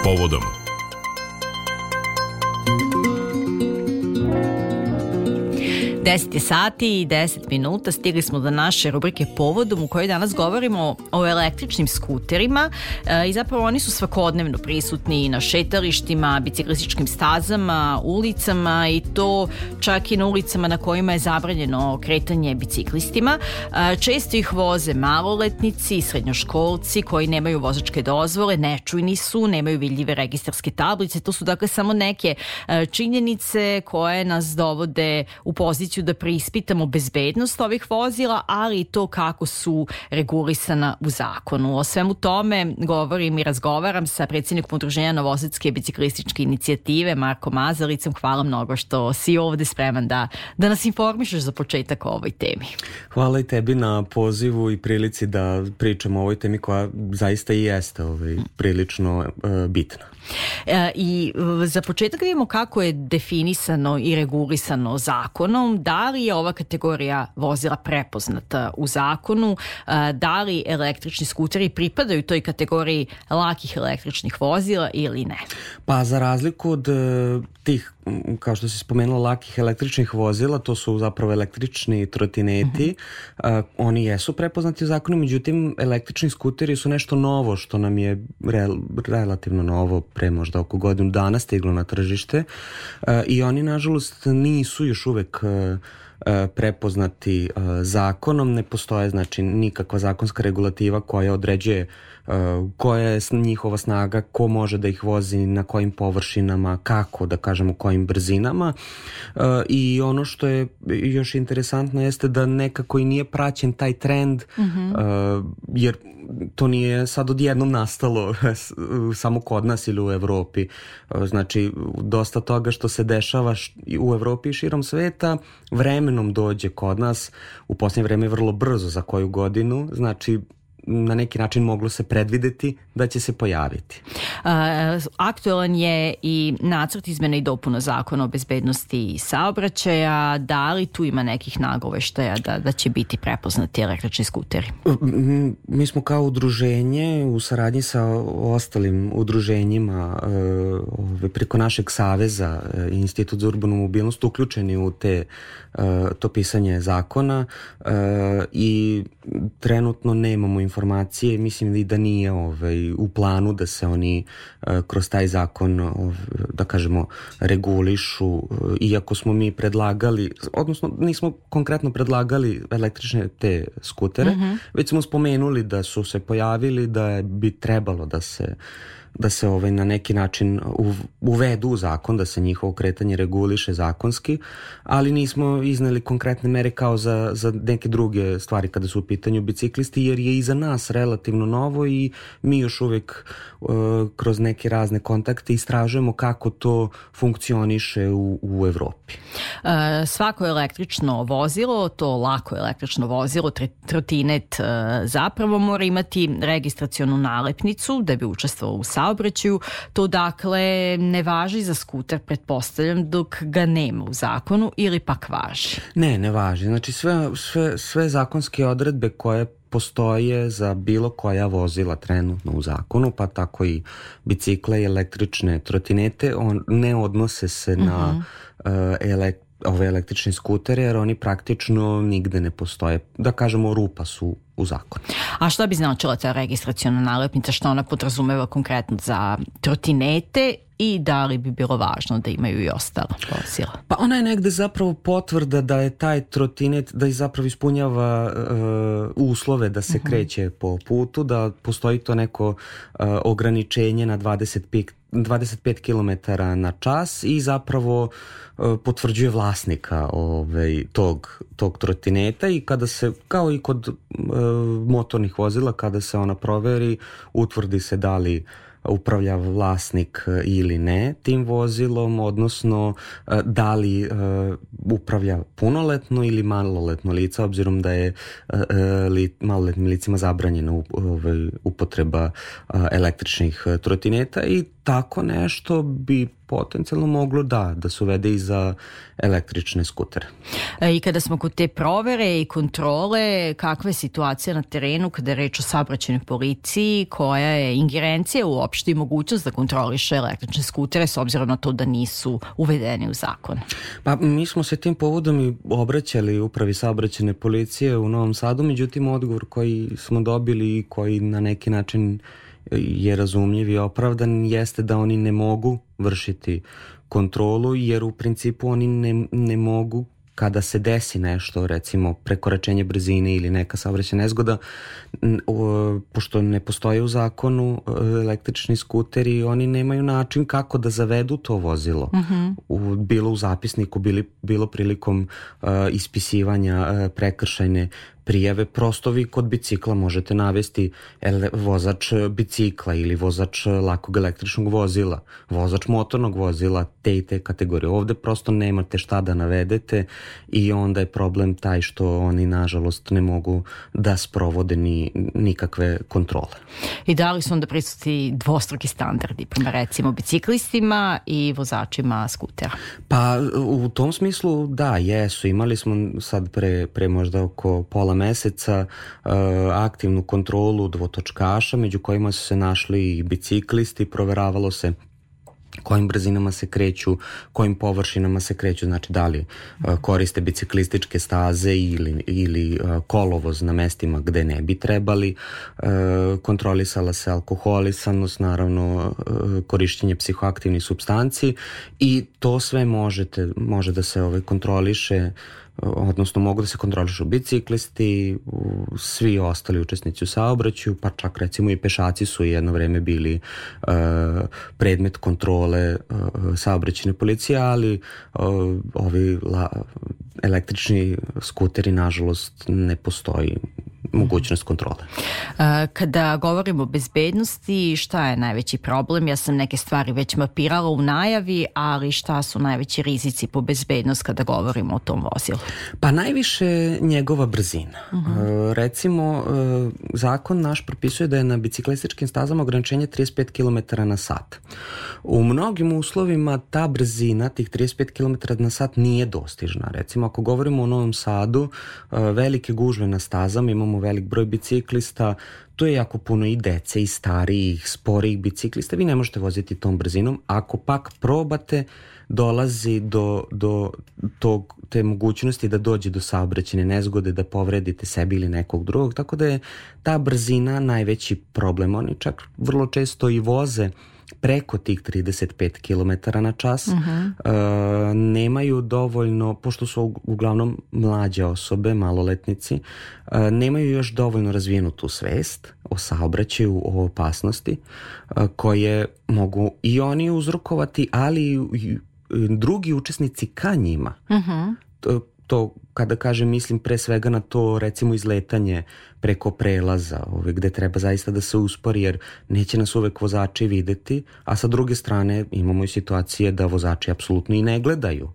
Povodom. Deset je sati i 10 minuta, stigli smo do naše rubrike Povodom u kojoj danas govorimo o električnim skuterima i zapravo oni su svakodnevno prisutni na šetalištima, biciklističkim stazama, ulicama i to čak i na ulicama na kojima je zabranjeno kretanje biciklistima. Često ih voze maloletnici, srednjoškolci koji nemaju vozačke dozvole, nečujni su, nemaju vidljive registarske tablice. To su dakle samo neke činjenice koje nas dovode u poziciju da preispitamo bezbednost ovih vozila, ali i to kako su regulisana u zakonu. O svemu tome govorim i razgovaram sa predsjednikom Udruženja Novosadske biciklističke inicijative Markom Mazalicom. Hvala mnogo što si ovde spreman da nas informišeš za početak o ovoj temi. Hvala i tebi na pozivu i prilici da pričamo o ovoj temi koja zaista i jeste prilično bitna. I za početak vidimo kako je definisano i regulisano zakonom. Da li je ova kategorija vozila prepoznata u zakonu? Da li električni skuteri pripadaju toj kategoriji lakih električnih vozila ili ne? Pa za razliku od tih, kao što si spomenula, lakih električnih vozila, to su zapravo električni trotineti. Oni jesu prepoznati u zakonu, međutim električni skuteri su nešto novo što nam je relativno novo, pre možda oko godinu dana stiglo na tržište i oni nažalost nisu još uvek prepoznati zakonom. Ne postoje znači nikakva zakonska regulativa koja određuje koja je njihova snaga, ko može da ih vozi, na kojim površinama, kako, da kažemo, kojim brzinama. I ono što je još interesantno jeste da nekako i nije praćen taj trend, jer to nije sad odjednom nastalo samo kod nas ili u Evropi. Znači, dosta toga što se dešava u Evropi i širom sveta vremenom dođe kod nas, u posljednje vreme vrlo brzo, za koju godinu, znači na neki način moglo se predvideti da će se pojaviti. Aktualan je i nacrt izmena i dopuna zakona o bezbednosti saobraćaja. Da li tu ima nekih nagoveštaja da će biti prepoznati električni skuteri? Mi smo kao udruženje u saradnji sa ostalim udruženjima preko našeg saveza Institut za urbanu mobilnost uključeni u to pisanje zakona i trenutno nemamo informacije, mislim i da nije u planu da se oni kroz taj zakon, da kažemo, regulišu, iako smo mi predlagali, odnosno nismo konkretno predlagali električne te skutere, već smo spomenuli da su se pojavili, da bi trebalo da se na neki način uvedu u zakon, da se njihovo kretanje reguliše zakonski, ali nismo izneli konkretne mere kao za neke druge stvari kada su u pitanju biciklisti, jer je i za nas relativno novo i mi još uvijek kroz neke razne kontakte istražujemo kako to funkcioniše u Evropi. Svako električno vozilo, to lako električno vozilo, trotinet, zapravo mora imati registracionu nalepnicu da bi učestvovao u saobraćaju. To dakle ne važi za skuter, pretpostavljam, dok ga nema u zakonu, ili pak važi? Ne važi. Znači sve zakonske odredbe koje postoje za bilo koja vozila trenutno u zakonu, pa tako i bicikle i električne trotinete, ne odnose se na ove električne skutere, jer oni praktično nigde ne postoje. Da kažemo, rupa su u zakonu. A šta bi značila ta registraciona nalepnica, što ona podrazumeva konkretno za trotinete i da li bi bilo važno da imaju i ostala vozila? Pa ona je negde zapravo potvrda da je taj trotinet, da je zapravo ispunjava uslove da se kreće po putu, da postoji to neko ograničenje na 25 km na čas i zapravo potvrđuje vlasnika tog trotineta i kada se, kao i kod motornih vozila, kada se ona proveri, utvrdi se da li upravlja vlasnik ili ne tim vozilom, odnosno da li upravlja punoletno ili maloletno lice, obzirom da je maloletnim licima zabranjena upotreba električnih trotineta, i tako nešto bi potencijalno moglo da se uvede i za električne skutere. I kada smo kod te provere i kontrole, kakva je situacija na terenu kada je reč o saobraćajnoj policiji, koja je ingerencija uopšte i mogućnost da kontroliše električne skutere s obzirom na to da nisu uvedeni u zakon? Pa mi smo se tim povodom i obraćali upravi saobraćajne policije u Novom Sadu, međutim odgovor koji smo dobili i koji na neki način je razumljiv i opravdan jeste da oni ne mogu vršiti kontrolu, jer u principu oni ne mogu, kada se desi nešto, recimo prekoračenje brzine ili neka saobraćajna nezgoda, pošto ne postoje u zakonu električni skuteri, oni nemaju način kako da zavedu to vozilo. Bilo u zapisniku, bilo prilikom ispisivanja prekršajne prijave. Prosto vi kod bicikla možete navesti vozač bicikla ili vozač lakog električnog vozila, vozač motornog vozila, te i te kategorije. Ovde prosto nemate šta da navedete i onda je problem taj što oni nažalost ne mogu da sprovode nikakve kontrole. I da li su onda prisutni dvostruki standardi prema recimo biciklistima i vozačima skutera? Pa u tom smislu da, jesu. Imali smo sad pre možda oko pola meseca aktivnu kontrolu dvotočkaša, među kojima su se našli i biciklisti, proveravalo se kojim brzinama se kreću, kojim površinama se kreću, znači da li koriste biciklističke staze ili kolovoz na mestima gde ne bi trebali. Kontrolisala se alkoholisanost, naravno korišćenje psihoaktivnih supstanci i to sve može da se kontroliše, odnosno mogu da se kontrolišu biciklisti, svi ostali učesnici u saobraćaju, pa čak recimo i pešaci su jedno vreme bili predmet kontrole saobraćajne policije, ali ovi električni skuteri nažalost ne postoji mogućnost kontrole. Kada govorimo o bezbednosti, šta je najveći problem? Ja sam neke stvari već mapirala u najavi, ali šta su najveći rizici po bezbednost kada govorimo o tom vozilu? Pa najviše njegova brzina. Recimo, zakon naš propisuje da je na biciklističkim stazama ograničenje 35 km na sat. U mnogim uslovima ta brzina, tih 35 km na sat, nije dostižna. Recimo, ako govorimo o Novom Sadu, velike gužve na stazama, imamo velik broj biciklista, tu je jako puno i dece i starijih, sporijih biciklista, vi ne možete voziti tom brzinom. Ako pak probate, dolazi do te mogućnosti da dođe do saobraćajne nezgode, da povredite sebi ili nekog drugog, tako da je ta brzina najveći problem. Oni čak vrlo često i voze preko tih 35 km na čas, nemaju dovoljno, pošto su uglavnom mlađe osobe, maloletnici, nemaju još dovoljno razvijenu tu svest o saobraćaju, o opasnosti, koje mogu i oni uzrokovati, ali i drugi učesnici ka njima. To kada kažem, mislim pre svega na to, recimo izletanje preko prelaza, gde treba zaista da se uspori, jer neće nas uvek vozači videti, a sa druge strane imamo i situacije da vozači apsolutno i ne gledaju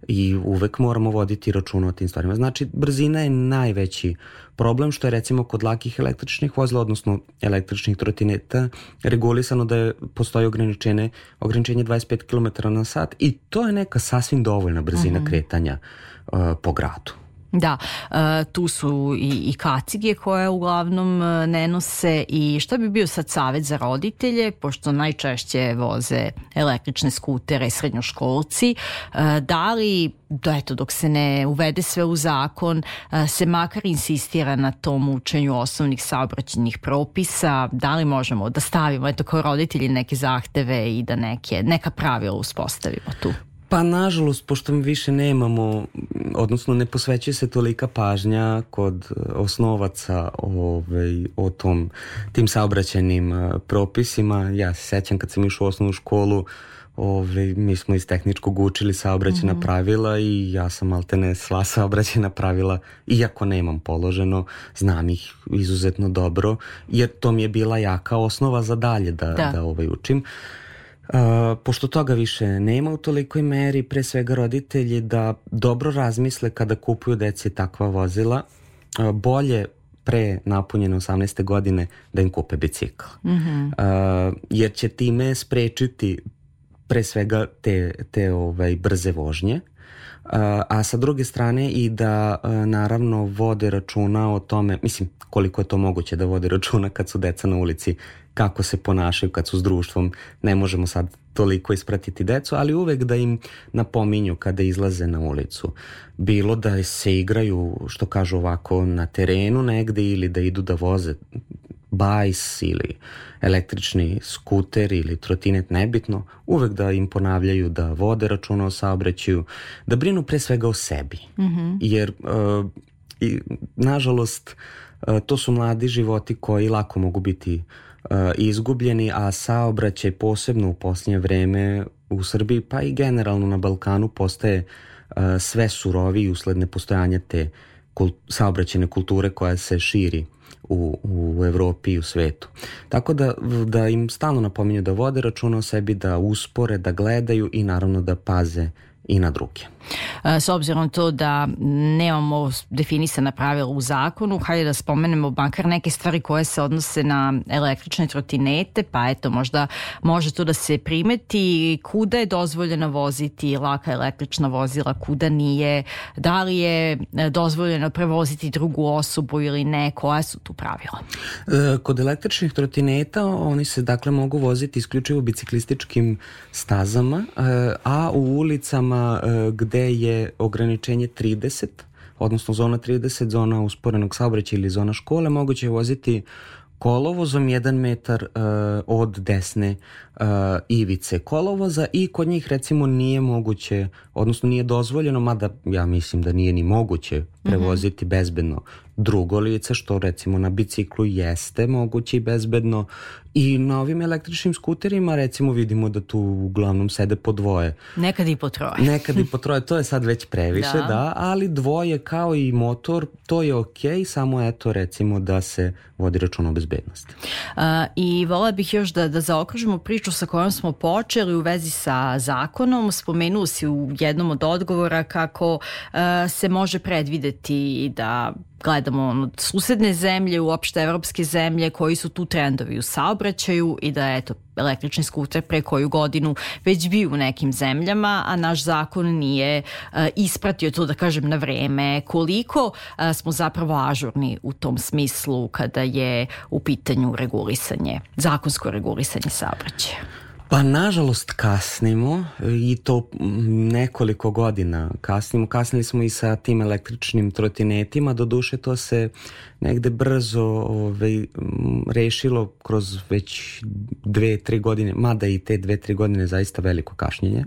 i uvek moramo voditi računa o tim stvarima. Znači, brzina je najveći problem, što je recimo kod lakih električnih vozila, odnosno električnih trotineta, regulisano da postoji ograničenje 25 km na sat i to je neka sasvim dovoljna brzina kretanja po gradu. Da, tu su i kacige koje uglavnom ne nose. I šta bi bio sad savjet za roditelje, pošto najčešće voze električne skutere srednjoškolci, da li dok se ne uvede sve u zakon, se makar insistira na tom učenju osnovnih saobraćajnih propisa, da li možemo da stavimo kao roditelji neke zahteve i da neka pravila uspostavimo tu? Pa nažalost, pošto mi više nemamo, odnosno ne posvećuje se tolika pažnja kod osnovaca o tim saobraćajnim propisima. Ja se sećam kad sam išao u osnovnu školu, mi smo iz tehničkog učili saobraćajna pravila i ja sam maltene sva saobraćajna pravila, iako nemam položeno, znam ih izuzetno dobro, jer to mi je bila jaka osnova za dalje da učim. Pošto toga više nema u tolikoj meri, pre svega roditelji da dobro razmisle kada kupuju deci takva vozila, bolje pre napunjene 18. godine da im kupe bicikl. Jer će time sprečiti pre svega te brze vožnje, a sa druge strane i da naravno vode računa o tome, mislim koliko je to moguće da vode računa kad su deca na ulici, kako se ponašaju kad su s društvom, ne možemo sad toliko ispratiti decu, ali uvek da im napominju kada izlaze na ulicu. Bilo da se igraju, što kažu ovako, na terenu negde ili da idu da voze bajs ili električni skuter ili trotinet, nebitno, uvek da im ponavljaju da vode računa o saobraćaju, da brinu pre svega o sebi. Jer nažalost to su mladi životi koji lako mogu biti izgubljeni, a saobraćaj posebno u posljednje vreme u Srbiji pa i generalno na Balkanu postaje sve suroviji usled nepostojanja te saobraćajne kulture koja se širi u Evropi i u svetu. Tako da im stalno napominju da vode računa o sebi, da uspore, da gledaju i naravno da paze i na druge. S obzirom to da nemamo definisana pravila u zakonu, hajde da spomenemo makar neke stvari koje se odnose na električne trotinete, pa eto možda može to da se primeti, kuda je dozvoljeno voziti laka električna vozila, kuda nije, da li je dozvoljeno prevoziti drugu osobu ili ne, koja su tu pravila? Kod električnih trotineta oni se dakle mogu voziti isključivo biciklističkim stazama, a u ulicama gde je ograničenje 30, odnosno zona 30, zona usporenog saobraćaja ili zona škole, moguće je voziti kolovozom 1 metar od desne ivice kolovoza i kod njih recimo nije moguće, odnosno nije dozvoljeno, mada ja mislim da nije ni moguće prevoziti bezbedno drugo lice, što recimo na biciklu jeste moguće i bezbedno, i na ovim električnim skuterima recimo vidimo da tu uglavnom sede po dvoje. Nekad i po troje. Nekad i po troje, to je sad već previše, da, ali dvoje kao i motor, to je okej, samo eto recimo da se vodi račun o bezbednosti. I volela bih još da zaokružimo priču sa kojom smo počeli u vezi sa zakonom. Spomenuo si u jednom od odgovora kako se može predvideti da gledamo susedne zemlje, uopšte evropske zemlje, koji su tu trendovi u saobraćaju i da eto električni skuter pre koju godinu već bio u nekim zemljama, a naš zakon nije ispratio to, da kažem, na vreme. Koliko smo zapravo ažurni u tom smislu kada je u pitanju regulisanje, zakonsko regulisanje saobraćaja? Pa nažalost kasnimo i to nekoliko godina kasnimo. Kasnili smo i sa tim električnim trotinetima, doduše to se negde brzo rešilo kroz već 2-3 godine, mada i te 2-3 godine zaista veliko kašnjenje.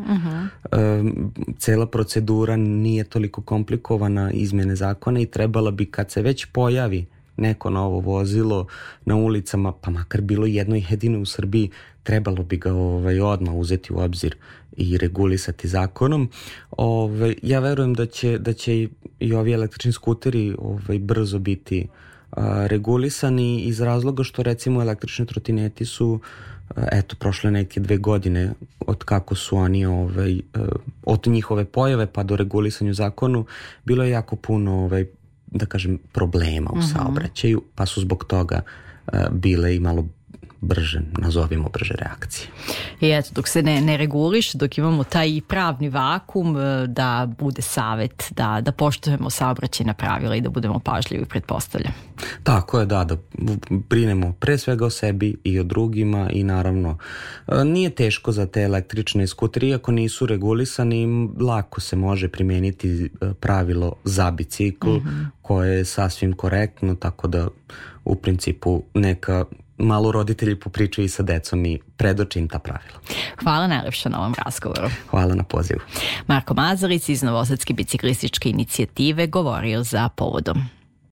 Cela procedura nije toliko komplikovana, izmjene zakona, i trebala bi kad se već pojavi neko novo vozilo na ulicama, pa makar bilo jedno i jedino u Srbiji, trebalo bi ga odmah uzeti u obzir i regulisati zakonom. Ja verujem da će i ovi električni skuteri brzo biti regulisani iz razloga što recimo električni trotineti su prošle neke 2 godine od kako su oni od njihove pojave pa do regulisanja u zakonu bilo je jako puno da kažem problema u saobraćaju, pa su zbog toga bile i malo brže, nazovimo brže reakcije. I eto, dok se ne reguliš, dok imamo taj pravni vakum, da bude savjet, da poštujemo saobraćajna pravila i da budemo pažljivi, pretpostavljam. Tako je, da brinemo pre svega o sebi i o drugima, i naravno nije teško za te električne skutere, iako nisu regulisani, lako se može primijeniti pravilo za bicikl koje je sasvim korektno, tako da u principu neka malo roditelji popričaju i sa decom i predoče im ta pravila. Hvala najlepše na ovom razgovoru. Hvala na pozivu. Marko Mazarić iz Novosadske biciklističke inicijative govorio za Povodom.